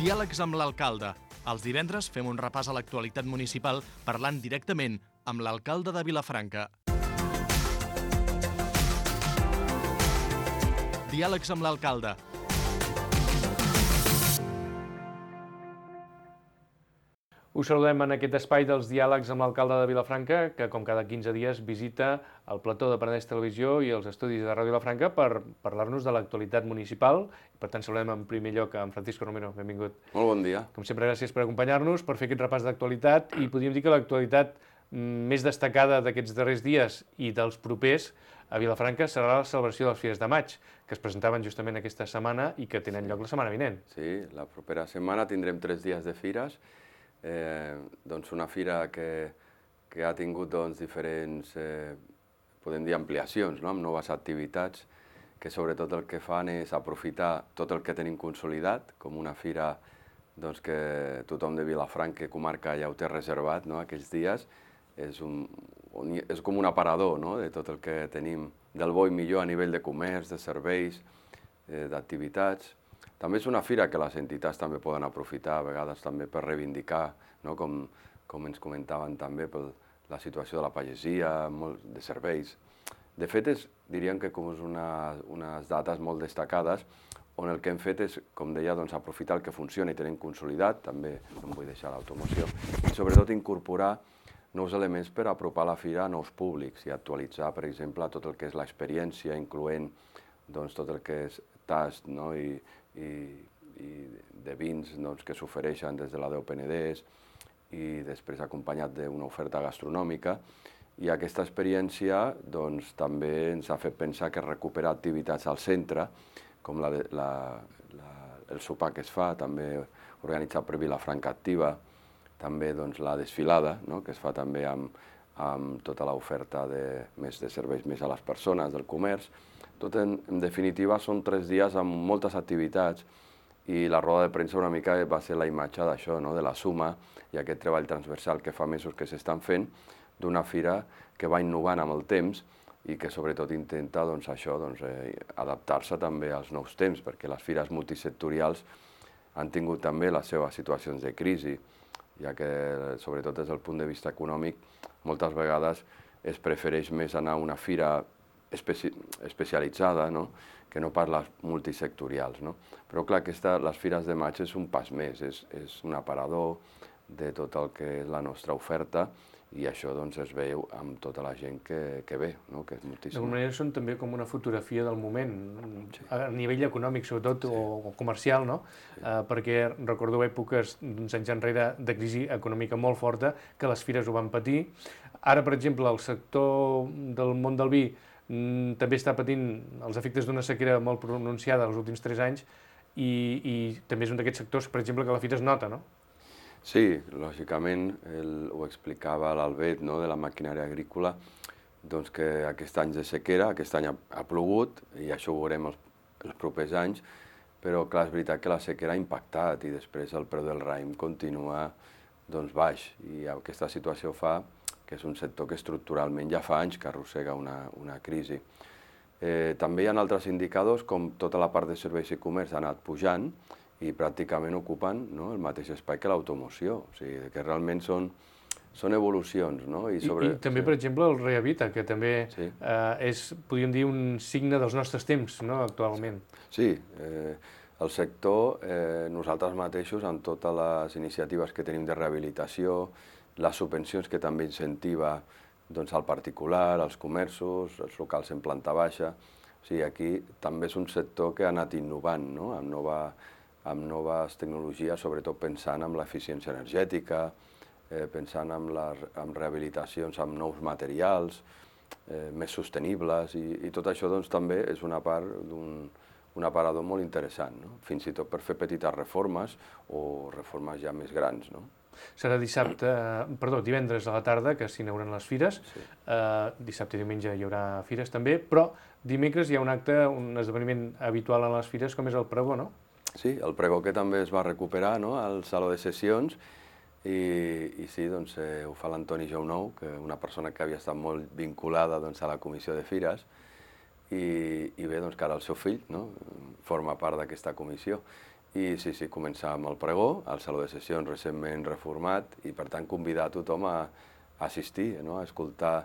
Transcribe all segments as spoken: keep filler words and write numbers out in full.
Diàlegs amb l'alcalde. Els divendres fem un repàs a l'actualitat municipal parlant directament amb l'alcalde de Vilafranca. Diàlegs amb l'alcalde. Us saludem en aquest espai dels diàlegs amb l'alcalde de Vilafranca, que com cada quinze dies visita el plató de Penedès Televisió i els estudis de Ràdio Vilafranca per parlar-nos de l'actualitat municipal. Per tant, saludem en primer lloc a en Francisco Romero. Benvingut. Molt bon dia. Com sempre, gràcies per acompanyar-nos, per fer aquest repàs d'actualitat, i podríem dir que l'actualitat més destacada d'aquests darrers dies i dels propers a Vilafranca serà la celebració de les Fires de Maig, que es presentaven justament aquesta setmana i que tenen lloc la setmana vinent. Sí, la propera setmana tindrem tres dies de fires. Eh, doncs una fira que, que ha tingut doncs, diferents, eh, podem dir, ampliacions, no? Amb noves activitats, que sobretot el que fan és aprofitar tot el que tenim consolidat, com una fira doncs, que tothom de Vilafranca, comarca, ja ho té reservat, no? Aquells dies. És, un, és com un aparador, no? De tot el que tenim del bo i millor a nivell de comerç, de serveis, eh, d'activitats. També és una fira que les entitats també poden aprofitar, a vegades també per reivindicar, no? com, com ens comentaven també, per la situació de la pagesia, molt de serveis. De fet, és, diríem que com és una, unes dates molt destacades, on el que hem fet és, com deia, doncs, aprofitar el que funciona i tenim consolidat, també no em vull deixar l'automoció, i sobretot incorporar nous elements per apropar la fira a nous públics i actualitzar, per exemple, tot el que és l'experiència, incloent doncs, tot el que és tast, no? I, i, i de vins doncs, que s'ofereixen des de la Déu Penedès i després acompanyat d'una oferta gastronòmica. I aquesta experiència doncs, també ens ha fet pensar que recuperar activitats al centre, com la, la, la, el sopar que es fa, també organitzat per Vilafranca Activa, també doncs, la desfilada, no? Que es fa també amb, amb tota l'oferta de, més de serveis més a les persones, del comerç. Tot en, en definitiva són tres dies amb moltes activitats i la roda de premsa una mica va ser la imatge d'això, no? De la suma i aquest treball transversal que fa mesos que s'estan fent d'una fira que va innovant amb el temps i que sobretot intenta doncs, això, doncs, eh, adaptar-se també als nous temps, perquè les fires multisectorials han tingut també les seves situacions de crisi, ja que sobretot des del punt de vista econòmic moltes vegades es prefereix més anar a una fira Especi especialitzada, no? Que no pas les multisectorials. No? Però clar, aquesta, les Fires de Maig és un pas més, és, és un aparador de tot el que és la nostra oferta i això doncs, es veu amb tota la gent que, que ve, no? Que és moltíssima. D'alguna manera són també com una fotografia del moment, sí. A nivell econòmic sobretot, sí. o, o comercial, no? Sí. Uh, perquè recordo èpoques d'uns anys enrere de crisi econòmica molt forta, que les fires ho van patir. Ara, per exemple, el sector del món del vi també està patint els efectes d'una sequera molt pronunciada els últims tres anys i, i també és un d'aquests sectors, per exemple, que la fira es nota, no? Sí, lògicament, el, ho explicava l'Albet, no?, de la maquinària agrícola, doncs que aquest any de sequera, aquest any ha, ha plogut i això ho veurem els, els propers anys, però clar, és veritat que la sequera ha impactat i després el preu del raïm continua doncs, baix i aquesta situació fa que és un sector que estructuralment ja fa anys que arrossega una, una crisi. Eh, també hi ha altres indicadors, com tota la part de serveis i comerç ha anat pujant i pràcticament ocupen, no?, el mateix espai que l'automoció. O sigui, que realment són, són evolucions. No? I, sobre... I, i també, sí. Per exemple, el Rehabita, que també sí. eh, és, podríem dir, un signe dels nostres temps, no?, actualment. Sí, eh, el sector, eh, nosaltres mateixos, amb totes les iniciatives que tenim de rehabilitació, les subvencions que també incentiva doncs, al particular, als comerços, els locals en planta baixa. O sigui, aquí també és un sector que ha anat innovant, no? amb, nova, amb noves tecnologies, sobretot pensant en l'eficiència energètica, eh, pensant en, les, en rehabilitacions amb nous materials, eh, més sostenibles, i, i tot això doncs, també és una part d'un un aparador molt interessant, no? Fins i tot per fer petites reformes o reformes ja més grans. No? Serà dissabte, perdó, divendres a la tarda que s'inauguren les fires, sí. uh, dissabte i diumenge hi haurà fires també, però dimecres hi ha un acte, un esdeveniment habitual en les fires com és el pregó, no? Sí, el pregó que també es va recuperar, no?, al Saló de Sessions i, i sí, doncs, eh, ho fa l'Antoni Jounou, que una persona que havia estat molt vinculada doncs, a la comissió de fires i, i bé, doncs, que ara el seu fill, no?, forma part d'aquesta comissió. I sí, sí, començar amb el pregó, al Saló de Sessions recentment reformat, i per tant convidar tothom a assistir, no? A escoltar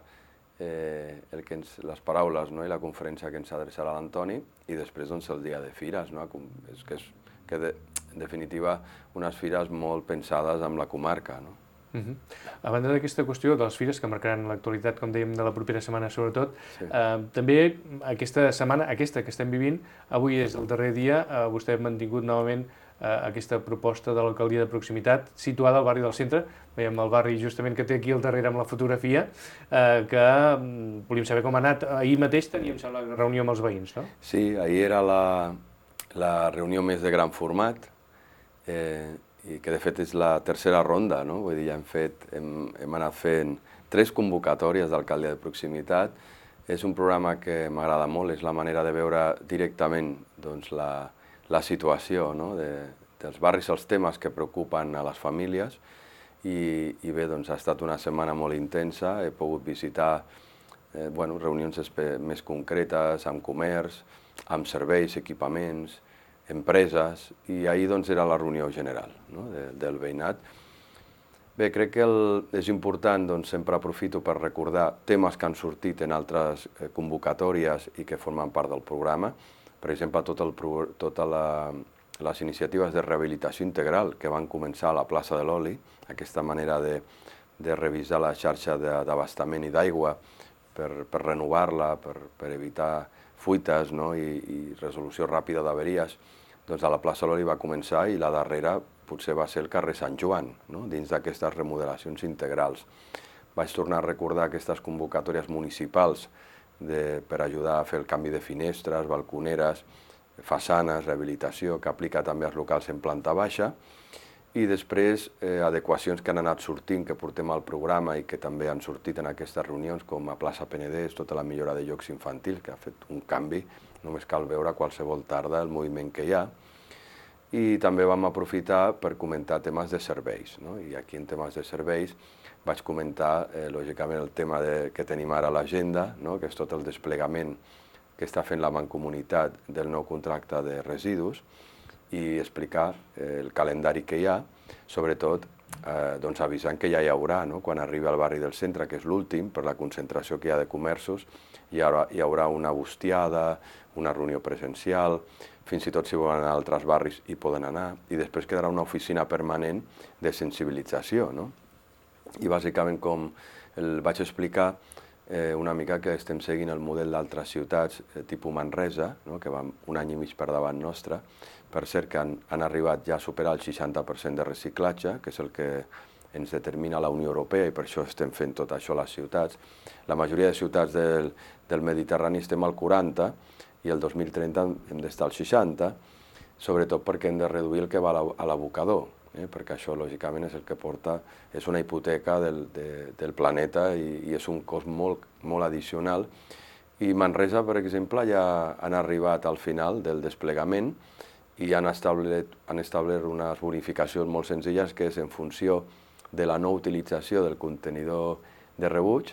eh, el que ens, les paraules, no? I la conferència que ens adreçarà l'Antoni, i després doncs, el dia de fires, no? És que, és, que de, en definitiva unes fires molt pensades amb la comarca. No? Uh -huh. A banda d'aquesta qüestió de les fires que marcaran l'actualitat, com dèiem, de la propera setmana sobretot, sí. eh, també aquesta setmana, aquesta que estem vivint, avui és el darrer dia, eh, vostè ha mantingut novament eh, aquesta proposta de l'alcaldia de proximitat situada al barri del centre, veiem el barri justament que té aquí al darrere amb la fotografia, eh, que mm, volíem saber com ha anat. Ahir mateix teníem la reunió amb els veïns, no? Sí, ahir era la, la reunió més de gran format, eh, i que de fet és la tercera ronda, no? Vull dir, ja hem, fet, hem, hem anat fent tres convocatòries d'alcaldia de proximitat. És un programa que m'agrada molt, és la manera de veure directament doncs, la, la situació, no? de, dels barris, els temes que preocupen a les famílies, i, i bé, doncs, ha estat una setmana molt intensa, he pogut visitar eh, bueno, reunions més concretes amb comerç, amb serveis, equipaments, empreses, i ahir doncs, era la reunió general, no? de, del veïnat. Bé, crec que el, és important, doncs, sempre aprofito per recordar temes que han sortit en altres eh, convocatòries i que formen part del programa. Per exemple, tot el, tota la, les iniciatives de rehabilitació integral que van començar a la plaça de l'Oli, aquesta manera de, de revisar la xarxa d'abastament i d'aigua per, per renovar-la, per, per evitar fuites, no? I, i resolució ràpida d'averies. Doncs a la plaça Loli va començar, i la darrera potser va ser el carrer Sant Joan, no? Dins d'aquestes remodelacions integrals. Vaig tornar a recordar aquestes convocatòries municipals de, per ajudar a fer el canvi de finestres, balconeres, façanes, rehabilitació, que aplica també als locals en planta baixa, i després eh, adequacions que han anat sortint, que portem al programa i que també han sortit en aquestes reunions, com a plaça Penedès, tota la millora de llocs infantils, que ha fet un canvi, només cal veure qualsevol tarda el moviment que hi ha. I també vam aprofitar per comentar temes de serveis, no? I aquí en temes de serveis vaig comentar, eh, lògicament, el tema de, que tenim ara a l'agenda, no? Que és tot el desplegament que està fent la Mancomunitat del nou contracte de residus, i explicar eh, el calendari que hi ha, sobretot eh, doncs avisant que ja hi haurà, no? Quan arribi al barri del centre, que és l'últim, per la concentració que hi ha de comerços, hi haurà, hi haurà una bustiada, una reunió presencial, fins i tot si volen anar a altres barris hi poden anar, i després quedarà una oficina permanent de sensibilització, no? I bàsicament, com el vaig explicar, eh, una mica que estem seguint el model d'altres ciutats, eh, tipus Manresa, no? Que van un any i mig per davant nostre. Per cert, que han, han arribat ja a superar el seixanta per cent de reciclatge, que és el que ens determina la Unió Europea, i per això estem fent tot això a les ciutats. La majoria de ciutats del, del Mediterrani estem al quaranta, i el dos mil trenta hem d'estar al seixanta, sobretot perquè hem de reduir el que va a l'abocador, eh? Perquè això, lògicament, és el que porta, és una hipoteca del, de, del planeta, i, i és un cost molt, molt addicional. I Manresa, per exemple, ja han arribat al final del desplegament, i han establert, han establert unes bonificacions molt senzilles, que és en funció de la no utilització del contenidor de rebuig,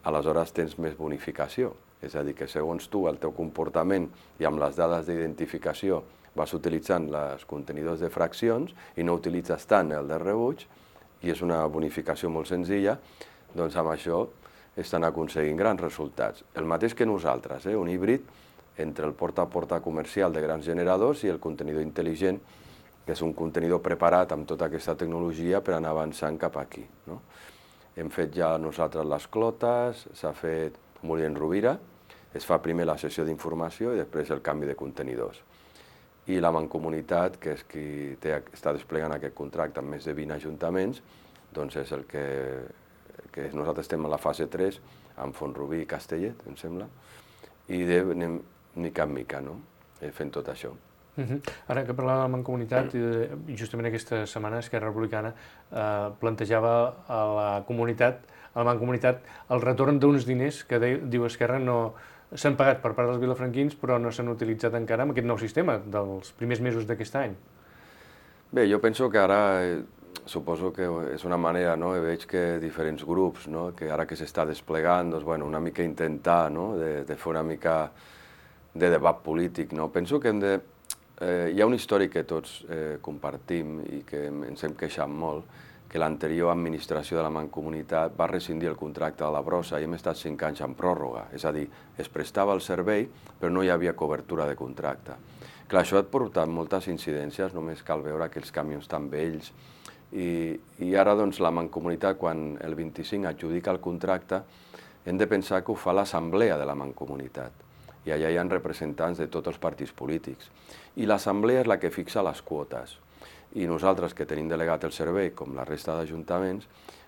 aleshores tens més bonificació. És a dir, que segons tu, el teu comportament i amb les dades d'identificació vas utilitzant els contenidors de fraccions i no utilitzes tant el de rebuig, i és una bonificació molt senzilla, doncs amb això estan aconseguint grans resultats. El mateix que nosaltres, eh? Un híbrid entre el porta a porta comercial de grans generadors i el contenidor intel·ligent, que és un contenidor preparat amb tota aquesta tecnologia per anar avançant cap aquí, no? Hem fet ja nosaltres les clotes, s'ha fet Molí Rovira, es fa primer la sessió d'informació i després el canvi de contenidors. I la Mancomunitat, que és qui té, està desplegant aquest contracte amb més de vint ajuntaments, doncs és el que, que nosaltres estem a la fase tres, amb Font-rubí i Castellet, em sembla, i de, anem mica en mica, no? Fent tot això. Uh-huh. Ara que parlava de la Mancomunitat, justament aquesta setmana Esquerra Republicana eh, plantejava a la comunitat, a la Mancomunitat, el retorn d'uns diners que de, diu Esquerra no s'han pagat per part dels vilafranquins, però no s'han utilitzat encara amb aquest nou sistema dels primers mesos d'aquest any. Bé, jo penso que ara, eh, suposo que és una manera, no? Veig que diferents grups, no? Que ara que s'està desplegant, doncs, bueno, una mica intentar, no? de, de fer una mica de debat polític, no? Penso que hem de eh, hi ha un històric que tots eh, compartim i que ens hem queixat molt, que l'anterior administració de la Mancomunitat va rescindir el contracte de la brossa i hem estat cinc anys en pròrroga. És a dir, es prestava el servei, però no hi havia cobertura de contracte. Clar, això ha portat moltes incidències, només cal veure que els camions estan vells, i, i ara doncs, la Mancomunitat, quan el vint-i-cinc adjudica el contracte, hem de pensar que ho fa l'assemblea de la Mancomunitat. I allà hi ha representants de tots els partits polítics. I l'assemblea és la que fixa les quotes. I nosaltres, que tenim delegat el servei, com la resta d'ajuntaments,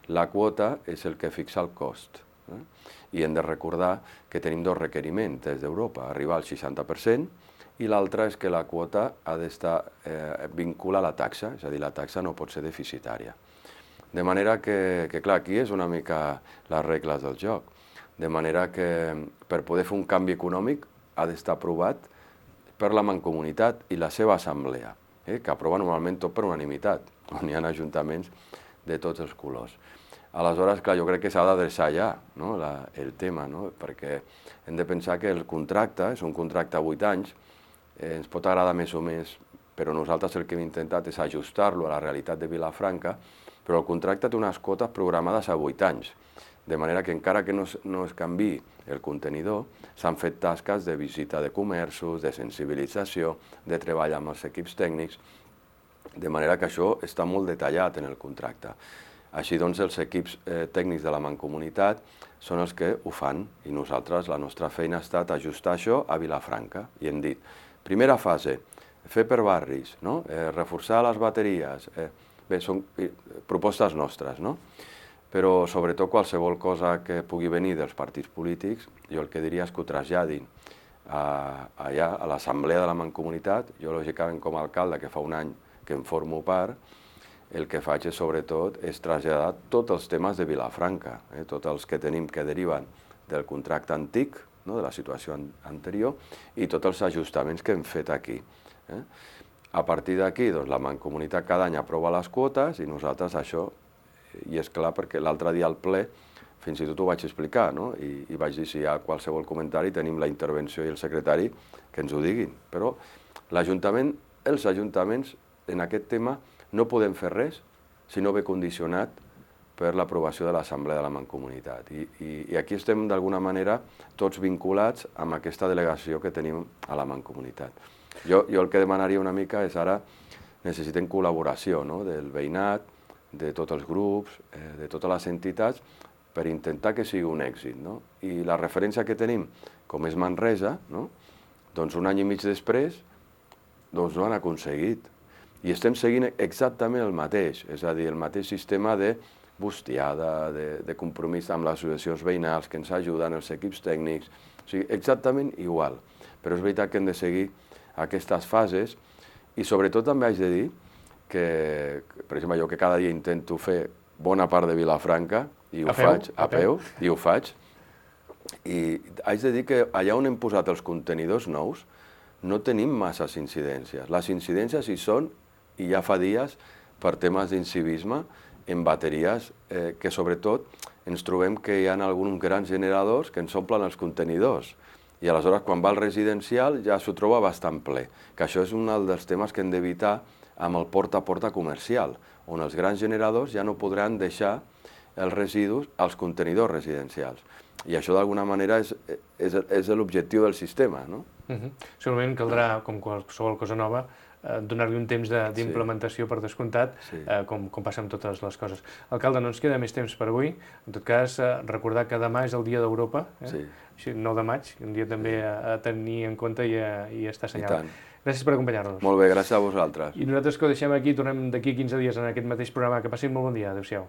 la quota és el que fixa el cost. Eh? I hem de recordar que tenim dos requeriments des d'Europa, arribar al seixanta per cent, i l'altre és que la quota ha d'estar eh, vinculada a la taxa, és a dir, la taxa no pot ser deficitària. De manera que, que, clar, aquí és una mica les regles del joc. De manera que per poder fer un canvi econòmic ha d'estar aprovat per la Mancomunitat i la seva assemblea, eh, que aprova normalment tot per unanimitat, on hi ha ajuntaments de tots els colors. Aleshores, clar, jo crec que s'ha d'adreçar ja, no, la, el tema, no? Perquè hem de pensar que el contracte és un contracte a vuit anys, eh, ens pot agradar més o més, però nosaltres el que hem intentat és ajustar-lo a la realitat de Vilafranca, però el contracte té unes quotes programades a vuit anys, de manera que encara que no es, no es canvi el contenidor, s'han fet tasques de visita de comerços, de sensibilització, de treball amb els equips tècnics, de manera que això està molt detallat en el contracte. Així doncs, els equips eh, tècnics de la Mancomunitat són els que ho fan i nosaltres, la nostra feina ha estat ajustar això a Vilafranca. I hem dit, primera fase, fer per barris, no? eh, reforçar les bateries, eh, bé, són eh, propostes nostres, no? Però sobretot qualsevol cosa que pugui venir dels partits polítics, jo el que diria és que ho traslladin a, allà, a l'assemblea de la Mancomunitat. Jo, lògicament, com a alcalde, que fa un any que en formo part, el que faig és, sobretot, és traslladar tots els temes de Vilafranca, eh, tots els que tenim que deriven del contracte antic, no, de la situació an anterior, i tots els ajustaments que hem fet aquí. Eh. A partir d'aquí, doncs, la Mancomunitat cada any aprova les quotes i nosaltres això. I és clar, perquè l'altre dia al ple fins i tot ho vaig explicar, no? I, i vaig dir, si hi ha qualsevol comentari, tenim la intervenció i el secretari que ens ho diguin. Però l'Ajuntament, els ajuntaments, en aquest tema, no podem fer res si no ve condicionat per l'aprovació de l'Assemblea de la Mancomunitat. I, i, i aquí estem, d'alguna manera, tots vinculats amb aquesta delegació que tenim a la Mancomunitat. Jo, jo el que demanaria una mica és ara, necessitem col·laboració, no? Del veïnat, de tots els grups, eh, de totes les entitats, per intentar que sigui un èxit, no? I la referència que tenim, com és Manresa, no? Doncs un any i mig després, doncs no han aconseguit. I estem seguint exactament el mateix, és a dir, el mateix sistema de bustiada, de, de compromís amb les associacions veïnals que ens ajuden, els equips tècnics, o sigui, exactament igual. Però és veritat que hem de seguir aquestes fases i sobretot també haig de dir que, per exemple, jo que cada dia intento fer bona part de Vilafranca, i ho faig a peu, i ho faig, i haig de dir que allà on hem posat els contenidors nous no tenim masses incidències. Les incidències hi són, i ja fa dies, per temes d'incivisme, en bateries, eh, que sobretot ens trobem que hi ha alguns grans generadors que ens omplen els contenidors. I aleshores, quan va al residencial, ja s'ho troba bastant ple. Que això és un dels temes que hem d'evitar amb el porta a porta comercial, on els grans generadors ja no podran deixar els residus als contenidors residencials. I això, d'alguna manera, és, és, és l'objectiu del sistema, no? Uh-huh. Segurament caldrà, com qualsevol cosa nova, eh, donar-li un temps d'implementació sí. per descomptat, sí. eh, com, com passa amb totes les coses. Alcalde, no ens queda més temps per avui. En tot cas, eh, recordar que demà és el Dia d'Europa, eh? Sí. Així, nou de maig, un dia també sí. a, a tenir en compte i, a, i a estar assenyalat. Gràcies per acompanyar-nos. Molt bé, gràcies a vosaltres. I nosaltres que ho deixem aquí, tornem d'aquí quinze dies en aquest mateix programa. Que passin molt bon dia. Adéu-siau.